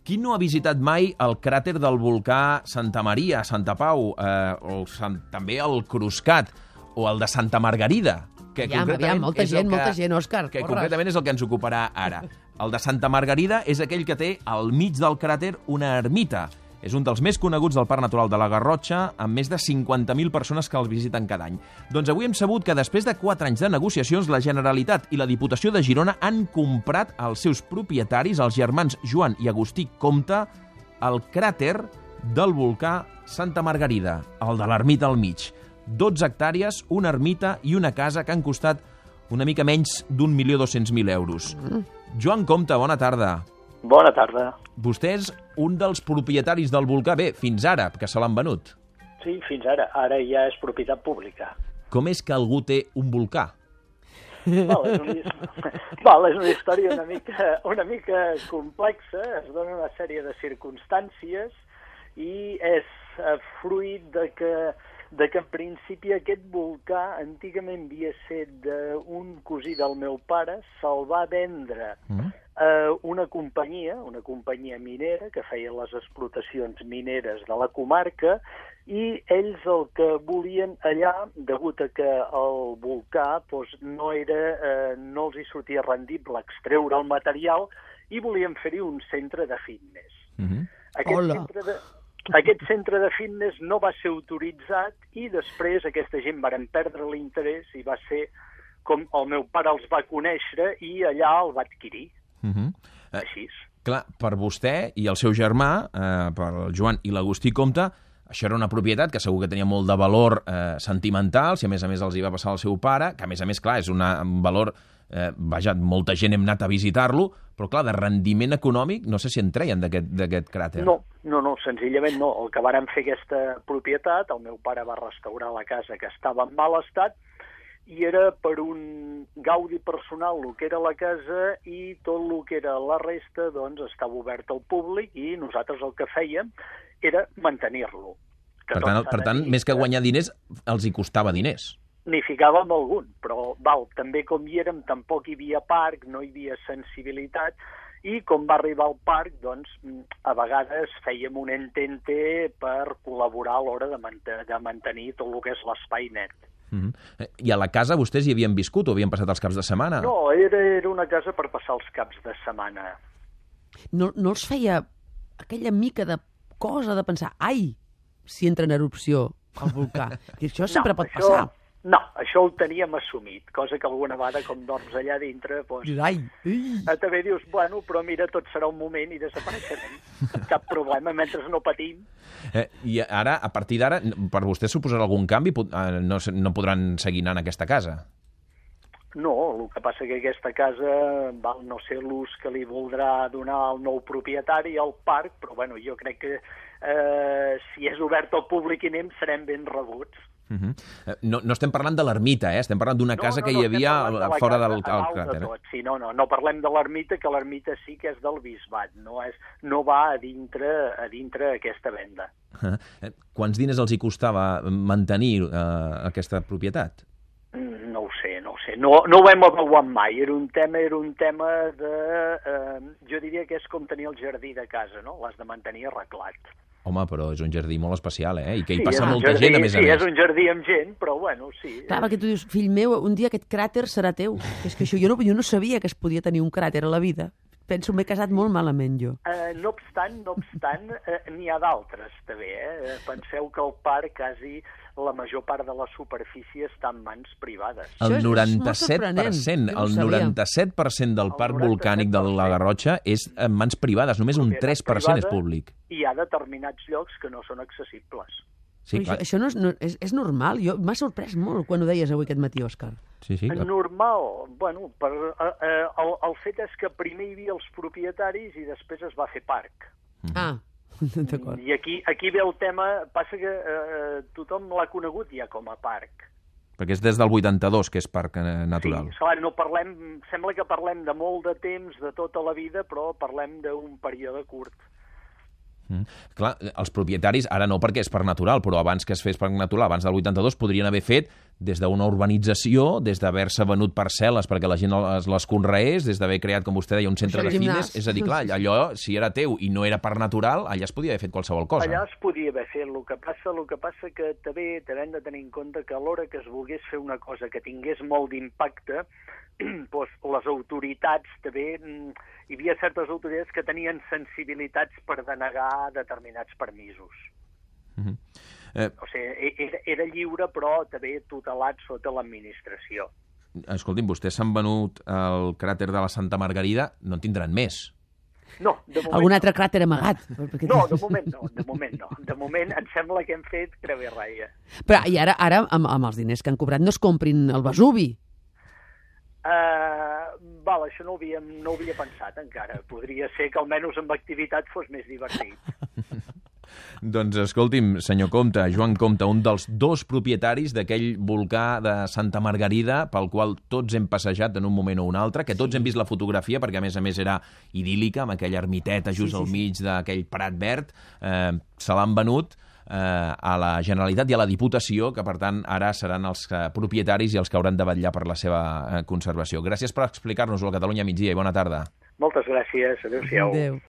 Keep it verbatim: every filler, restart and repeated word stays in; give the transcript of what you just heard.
Qui no ha visitat mai el cràter del volcà Santa Maria, Santa Pau, eh, o Sant, també el Cruscat, o el de Santa Margarida? Que aviam, aviam, molta gent, que, molta gent, Òscar. Que porres. Concretament és el que ens ocuparà ara. El de Santa Margarida és aquell que té al mig del cràter una ermita. És un dels més coneguts del Parc Natural de la Garrotxa, amb més de cinquanta mil persones que el visiten cada any. Doncs avui hem sabut que després de quatre anys de negociacions, la Generalitat i la Diputació de Girona han comprat als seus propietaris, els germans Joan i Agustí Comte, el cràter del volcà Santa Margarida, el de l'ermita al mig. dotze hectàrees, una ermita i una casa que han costat una mica menys d'un milió dos-cents mil euros. Mm. Joan Comte, bona tarda. Bona tarda. Vostè és un dels propietaris del volcà, bé, fins ara, que se l'han venut. Sí, fins ara. Ara ja és propietat pública. Com és que algú té un volcà? Val, és, una... Val, és una història una mica, una mica complexa, es dona una sèrie de circumstàncies i és fruit de que de que en principi aquest volcà antigament havia estat d'un cosí del meu pare, se'l va vendre mm. a una companyia, una companyia minera que feia les explotacions mineres de la comarca, i ells el que volien allà, degut a que el volcà doncs, no, era, eh, no els hi sortia rendible extreure el material, i volien fer-hi un centre de fitness. Mm-hmm. Aquest Hola. centre de... Aquest centre de fitness no va ser autoritzat i després aquesta gent varen perdre l'interès i va ser com el meu pare els va conèixer i allà el va adquirir. Uh-huh. eh, Així. Clar, per vostè i el seu germà, eh, per el Joan i l'Agustí Comte, això era una propietat que segur que tenia molt de valor eh, sentimental, si a més a més els hi va passar al seu pare, que a més a més, clar, és una, un valor... Eh, vaja, molta gent hem anat a visitar-lo, però clar, de rendiment econòmic no sé si en treien d'aquest cràter. No, no, no, senzillament no. El que varen fer aquesta propietat, el meu pare va restaurar la casa que estava en mal estat, i era per un gaudi personal el que era la casa i tot el que era la resta doncs estava obert al públic i nosaltres el que fèiem era mantenir-lo. Per tant, per tant, més que guanyar diners, els hi costava diners. N'hi ficàvem algun, però val, també com hi érem tampoc hi havia parc, no hi havia sensibilitat, i com va arribar al parc, doncs, a vegades fèiem un entente per col·laborar a l'hora de, mant de mantenir tot el que és l'espai net. Mm-hmm. I a la casa vostès hi havien viscut o havien passat els caps de setmana? No, era, era una casa per passar els caps de setmana. No, no els feia aquella mica de cosa de pensar, ai, si entra en erupció el volcà, que això sempre no, pot això... passar. No, això ho teníem assumit, cosa que alguna vegada, com dorms allà dintre, doncs, ai, ai. També dius, bueno, però mira, tot serà un moment i desapareixerem. Cap problema, mentre no patim. Eh, I ara, a partir d'ara, per vostè suposarà algun canvi? No, no podran seguir anant a aquesta casa? No, el que passa que aquesta casa, val, no sé l'ús que li voldrà donar el nou propietari al parc, però bueno, jo crec que eh, si és obert al públic i anem, serem ben rebuts. Uh-huh. No, no estem parlant de l'ermita, eh? Estem parlant d'una no, casa no, que no, hi havia de fora casa, del cràter. De sí, no, no, no parlem de l'ermita, que l'ermita sí que és del bisbat, no, és, no va a dintre, a dintre aquesta venda. Uh-huh. Quants diners els hi costava mantenir uh, aquesta propietat? No ho sé, no ho sé. No, no ho hem avaluat mai. Era un tema, era un tema de... Eh, jo diria que és com tenir el jardí de casa, no? L'has de mantenir arreglat. Home, però és un jardí molt especial, eh? I que hi sí, passa molta jardí, gent, a més a sí, més. Sí, és un jardí amb gent, però bueno, sí. Clar, perquè tu dius, fill meu, un dia aquest cràter serà teu. És que això jo no, jo no sabia que es podia tenir un cràter a la vida. Penso, m'he casat molt malament, jo. Uh, no obstant, no obstant, uh, n'hi ha d'altres, també, eh? Penseu que el parc, quasi la major part de la superfície està en mans privades. El noranta-set per cent, el noranta-set per cent del parc volcànic de la Garrotxa és en mans privades, només un tres per cent és públic. I hi ha determinats llocs que no són accessibles. Sí, això, això no és, no, és, és normal. Jo m'ha sorprès molt quan ho deies avui aquest matí, Òscar. Sí, sí, clar. Normal. Bueno, per, eh, el, el fet és que primer hi havia els propietaris i després es va fer parc. Ah, d'acord. I aquí, aquí ve el tema, passa que eh, tothom l'ha conegut ja com a parc. Perquè és des del vuitanta-dos que és parc natural. Sí, clar, no parlem, sembla que parlem de molt de temps, de tota la vida, però parlem d'un període curt. Mm. Clar, els propietaris, ara no perquè és parc natural, però abans que es fes parc natural, abans del vuitanta-dos, podrien haver fet des d'una urbanització, des d'haver-se venut parcel·les perquè la gent les, les conreés, des d'haver creat, com vostè deia, un centre de fitness. És a dir, clar, allò, si era teu i no era parc natural, allà es podia haver fet qualsevol cosa. Allà es podia haver fet. El que passa, el que passa que també, també hem de tenir en compte que a l'hora que es volgués fer una cosa que tingués molt d'impacte, doncs les autoritats també, hi havia certes autoritats que tenien sensibilitats per denegar determinats permisos. Mm-hmm. eh, o sigui, era, era lliure, però també tutelat sota l'administració. Escolti'm, vostès s'han venut el cràter de la Santa Margarida, no en tindran més. No, de moment Algun no. altre cràter amagat? No, de moment no, de moment no. De moment em sembla que hem fet creu i ratlla. Però i ara, ara amb, amb els diners que han cobrat, no es comprin el Vesuvi? Uh, val, això no ho, havíem, no ho havia pensat encara. Podria ser que almenys amb activitat fos més divertit. Doncs escolti'm, senyor Compte, Joan Compte, un dels dos propietaris d'aquell volcà de Santa Margarida pel qual tots hem passejat en un moment o un altre, que tots sí, sí. hem vist la fotografia, perquè a més a més era idíl·lica, amb aquella ermiteta just sí, sí, al mig sí. d'aquell prat verd, eh, se l'han venut eh, a la Generalitat i a la Diputació, que per tant ara seran els eh, propietaris i els que hauran de vetllar per la seva eh, conservació. Gràcies per explicar-nos-ho al Catalunya Migdia i bona tarda. Moltes gràcies, adéu-siau. Adéu.